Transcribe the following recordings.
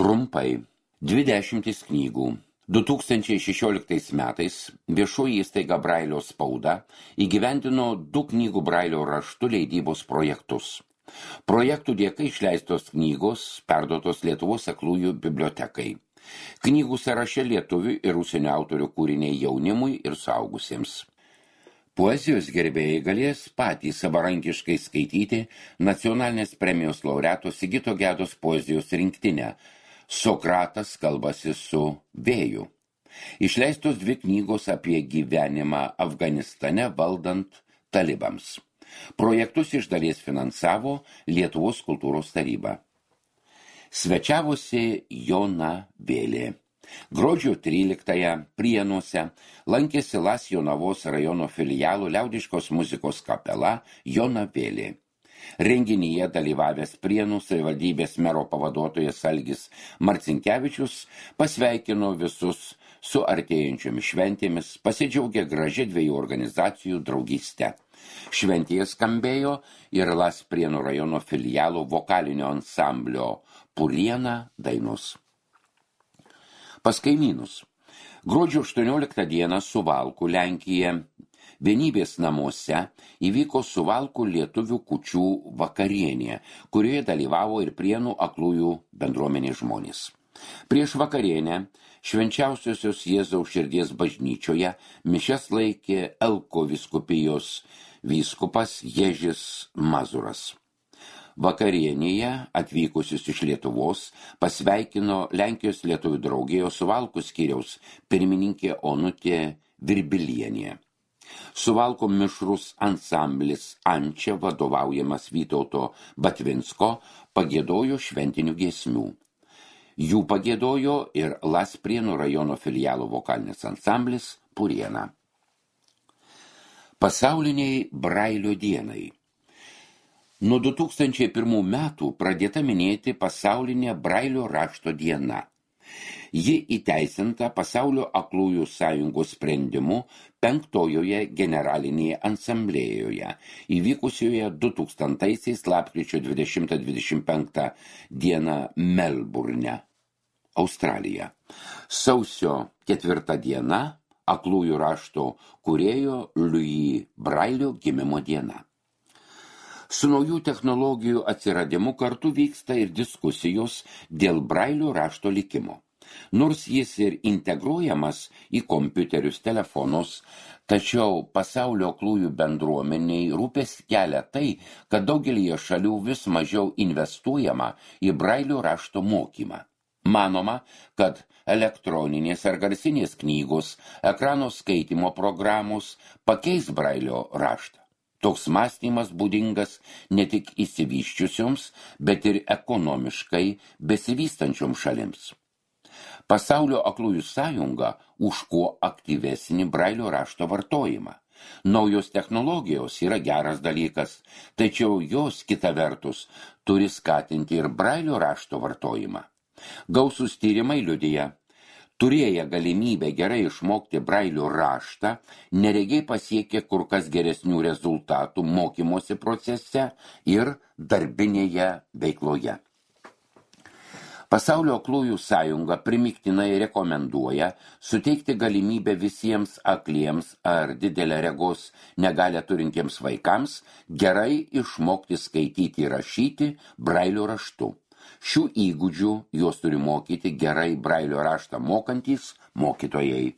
Trumpai. 20 knygų. 2016 metais viešoji įstaiga Brailio spauda įgyvendino 2 knygų Brailio raštu leidybos projektus. Projektų dėka išleistos knygos perduotos Lietuvos aklųjų bibliotekai. Knygų sąraše lietuvių ir užsienio autorių kūriniai jaunimui ir suaugusiems. Poezijos gerbėjai galės patys savarankiškai skaityti nacionalinės premijos laureato Sigito Gedos poezijos rinktinę Sokratas kalbasi su vėju. Išleistos 2 knygos apie gyvenimą Afganistane valdant talibams. Projektus iš dalies finansavo Lietuvos kultūros taryba. Svečiavosi Jona Vėlė. Gruodžio 13 Prienuose lankėsi Las Jonavos rajono filialo liaudiškos muzikos kapela Jona Vėlė. Renginyje dalyvavęs Prienų savivaldybės mero pavaduotojas Algis Marcinkevičius pasveikino visus su artėjančiomis šventėmis, pasidžiaugė gražia 2 organizacijų draugystę. Šventėje skambėjo ir Las Prienų rajono filialo vokalinio ansamblio Puriena dainos. Pas kaimynus. Gruodžio 18 dieną Suvalkų, Lenkija, Vienybės namuose įvyko Suvalkų lietuvių kūčių vakarienė, kurioje dalyvavo ir Prienų aklųjų bendruomenės žmonės. Prieš vakarienę Švenčiausiosios Jėzaus širdies bažnyčioje mišias laikė Elko vyskupijos vyskupas Ježis Mazuras. Vakarienėje atvykusius iš Lietuvos pasveikino Lenkijos lietuvių draugijos Suvalkų skyriaus pirmininkė Onutė Virbilienė. Suvalkų mišrus ansamblis Ančia, vadovaujamas Vytauto Batvinsko, pagiedojo šventinių giesmių. Jų pagiedojo ir Las Prienų rajono filialo vokalinis ansamblis Puriena. Pasauliniai Brailio dienai. Nuo 2001 metų pradėta minėti pasaulinė Brailio rašto diena. Ji įteisinta Pasaulio aklųjų sąjungos sprendimu 5-ojoje generalinėje asamblėjoje, įvykusioje 2000-aisiais lapkričio 20-25 dieną Melburne, Australija. Sausio 4 diena aklųjų rašto kūrėjo Louis Brailio gimimo diena. Su naujų technologijų atsiradimu kartu vyksta ir diskusijos dėl Brailio rašto likimo. Nors jis ir integruojamas į kompiuterius telefonus, tačiau pasaulio aklųjų bendruomeniai rūpestį kelia tai, kad daugelyje šalių vis mažiau investuojama į Brailio rašto mokymą. Manoma, kad elektroninės ar garsinės knygos, ekrano skaitymo programos pakeis Brailio raštą. Toks mąstymas būdingas ne tik išsivysčiusioms, bet ir ekonomiškai besivystančioms šalims. Pasaulio aklųjų sąjunga už kuo aktyvesnį Brailio rašto vartojimą. Naujos technologijos yra geras dalykas, tačiau jos kita vertus turi skatinti ir Brailio rašto vartojimą. Gausūs tyrimai liudija, turėję galimybę gerai išmokti Brailio raštą, neregiai pasiekė kur kas geresnių rezultatų mokymosi procese ir darbinėje veikloje. Pasaulio aklųjų sąjunga primygtinai rekomenduoja suteikti galimybę visiems akliems ar didelę regos negalią turintiems vaikams gerai išmokti skaityti ir rašyti Brailio raštu. Šių įgūdžių juos turi mokyti gerai Brailio raštą mokantys mokytojai.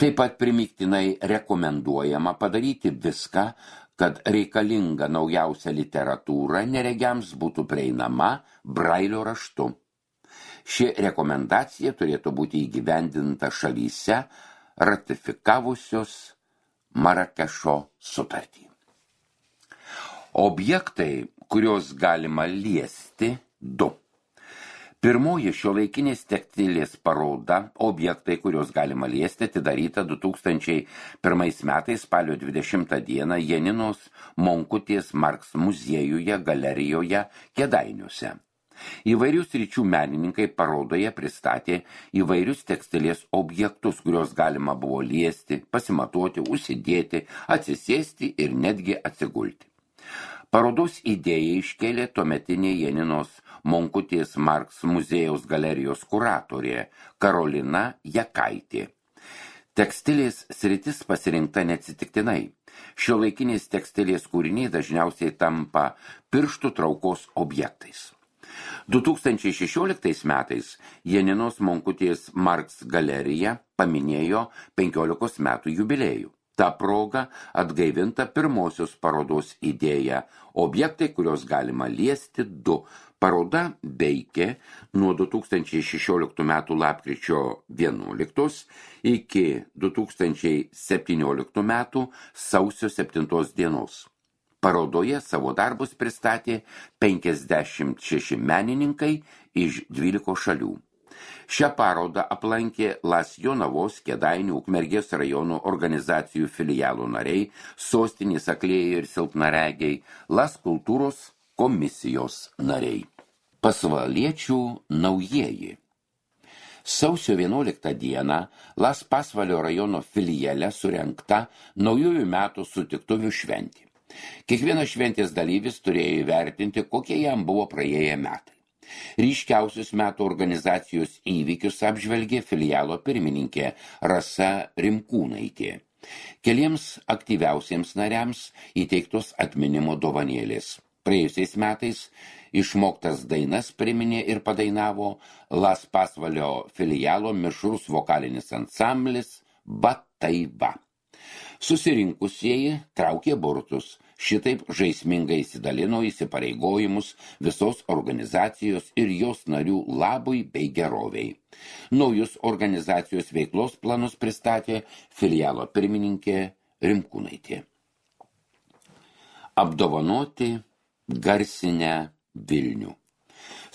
Taip pat primygtinai rekomenduojama padaryti viską, kad reikalinga naujausia literatūra neregiams būtų prieinama Brailio raštu. Ši rekomendacija turėtų būti įgyvendinta šalyse ratifikavusios Marakešo sutartį. Objektai, kuriuos galima liesti, 2. Pirmoji šiuolaikinės tekstilės paroda objektai, kuriuos galima liesti, atidaryta 2001 metais spalio 20 dieną Janinos Monkutės Marks muziejuje galerijoje Kėdainiuose. Įvairių sričių menininkai parodoje pristatė įvairius tekstilės objektus, kuriuos galima buvo liesti, pasimatuoti, užsidėti, atsisėsti ir netgi atsigulti. Parodos idėją iškėlė tuometinė Janinos Monkutės Marks muziejaus galerijos kuratorė Karolina Jakaitė. Tekstilės sritis pasirinkta neatsitiktinai. Šiuolaikinės tekstilės kūriniai dažniausiai tampa pirštų traukos objektais. 2016 metais Janinos Monkutės Marks galerija paminėjo 15 metų jubiliejų. Ta proga atgaivinta pirmosios parodos idėja objektai, kurios galima liesti 2. Paroda veikė nuo 2016 metų lapkričio 11 iki 2017 metų sausio 7 dienos. Parodoje savo darbus pristatė 56 menininkai iš 12 šalių. Šią parodą aplankė Las Jonavos, Kėdainių, Ukmergės rajono organizacijų filialų nariai, Sostinės aklieji ir silpnaregiai, Las kultūros komisijos nariai. Pasvaliečių naujieji. Sausio 11 dieną Las Pasvalio rajono filiale surengta naujųjų metų sutiktuvių šventė. Kiekvienas šventės dalyvis turėjo įvertinti, kokie jam buvo praėję metai. Ryškiausius metų organizacijos įvykius apžvelgė filialo pirmininkė Rasa Rimkūnaitė. Keliems aktyviausiems nariams įteiktos atminimo dovanėlės. Praėjusiais metais išmoktas dainas priminė ir padainavo Las Pasvalio filialo mišrus vokalinis ansamblis Bataiva. Susirinkusieji traukė burtus. Šitaip žaismingai įsidalino įsipareigojimus visos organizacijos ir jos narių labui bei geroviai. Naujus organizacijos veiklos planus pristatė filialo pirmininkė Rimkūnaitė. Apdovanoti garsinę Vilnių.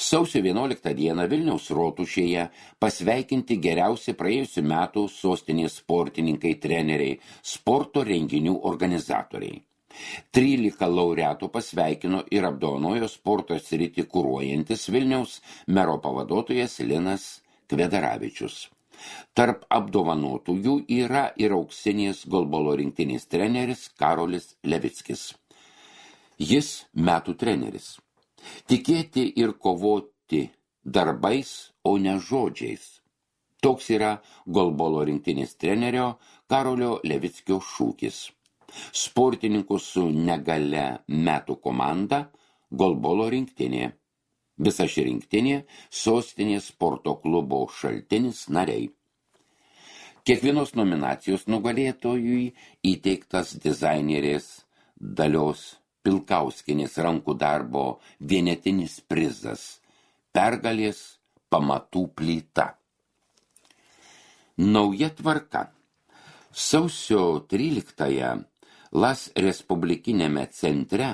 Sausio 11 dieną Vilniaus rotušėje pasveikinti geriausi praėjusių metų sostinės sportininkai, treneriai, sporto renginių organizatoriai. 13 laureatų pasveikino ir apdovanojo sporto sritį kuruojantis Vilniaus mero pavaduotojas Linas Kvedaravičius. Tarp apdovanotųjų yra ir auksinės golbolo rinktinės treneris Karolis Levickis. Jis metų treneris. Tikėti ir kovoti darbais, o ne žodžiais. Toks yra golbolo rinktinės trenerio Karolio Levickio šūkis. Sportininkų su negale metų komanda golbolo rinktinė. Visa ši rinktinė sostinės sporto klubo Šaltinis nariai. Kiekvienos nominacijos nugalėtojui įteiktas dizainerės Dalios Pilkauskienės rankų darbo vienetinis prizas – pergalės pamatų plyta. Nauja tvarka. Sausio 13-ąją Las Respublikinėme centre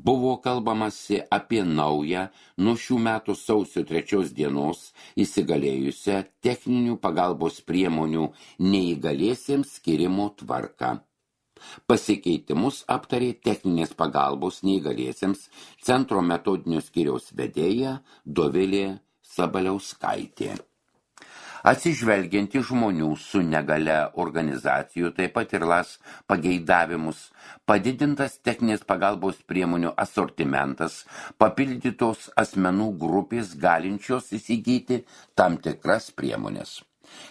buvo kalbamasi apie naują nuo šių metų sausio 3 dienos įsigalėjusią techninių pagalbos priemonių neįgaliesiems skirimo tvarką. Pasikeitimus aptarė techninės pagalbos neįgaliesiems centro metodinio skyriaus vedėja Dovilė Sabaliauskaitė. Atsižvelgianti žmonių su negale organizacijų, taip pat ir Las pageidavimus, padidintas techninės pagalbos priemonių asortimentas, papildytos asmenų grupės galinčios įsigyti tam tikras priemonės.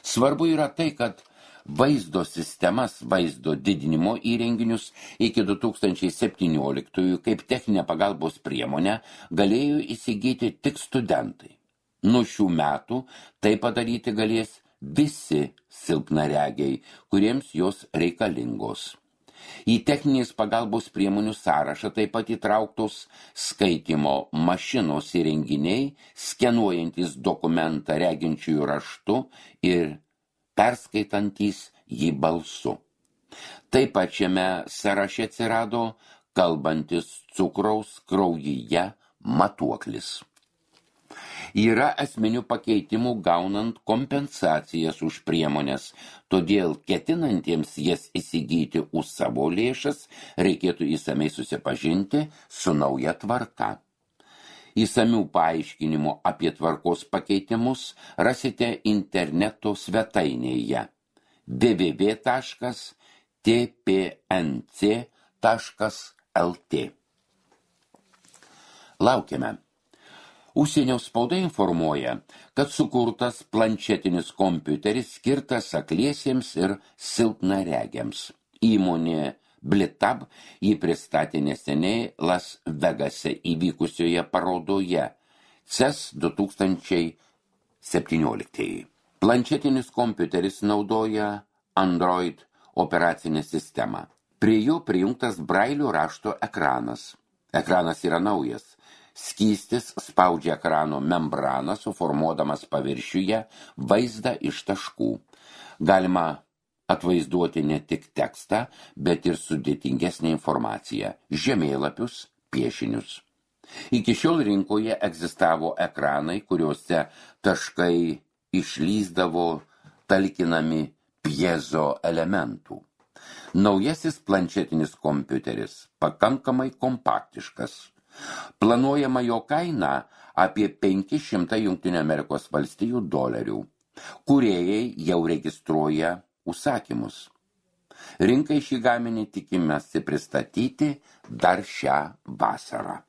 Svarbu yra tai, kad vaizdo sistemas, vaizdo didinimo įrenginius iki 2017 kaip techninę pagalbos priemonę galėjo įsigyti tik studentai. Nuo šių metų tai padaryti galės visi silpnaregiai, kuriems jos reikalingos. Į techninės pagalbos priemonių sąrašą taip pat įtrauktos skaitymo mašinos įrenginiai, skenuojantis dokumentą reginčiųjų raštu ir perskaitantys jį balsu. Taip pat šiame sąraše atsirado kalbantis cukraus kraujyje matuoklis. Yra esminių pakeitimų gaunant kompensacijas už priemonės, todėl ketinantiems jas įsigyti už savo lėšas reikėtų įsamei susipažinti su nauja tvarka. Įsamių paaiškinimų apie tvarkos pakeitimus rasite interneto svetainėje www.tpnc.lt. Laukiame. Užsienio spauda informuoja, kad sukurtas planšetinis kompiuteris skirtas akliesiems ir silpnaregiams. Įmonė Blitab jį pristatė neseniai Las Vegase įvykusioje parodoje CES 2017. Planšetinis kompiuteris naudoja Android operacinę sistemą. Prie jo prijungtas brailio rašto ekranas. Ekranas yra naujas. Skystis spaudžia ekrano membraną, suformuodamas paviršiuje vaizdą iš taškų. Galima atvaizduoti ne tik tekstą, bet ir sudėtingesnę informaciją, žemėlapius, piešinius. Iki šiol rinkoje egzistavo ekranai, kuriuose taškai išlįsdavo talkinami piezo elementų. Naujasis planšetinis kompiuteris pakankamai kompaktiškas. Planuojama jo kaina apie 500 $. Kūrėjai jau registruoja užsakymus. Rinkai šį gaminį tikimasi pristatyti dar šią vasarą.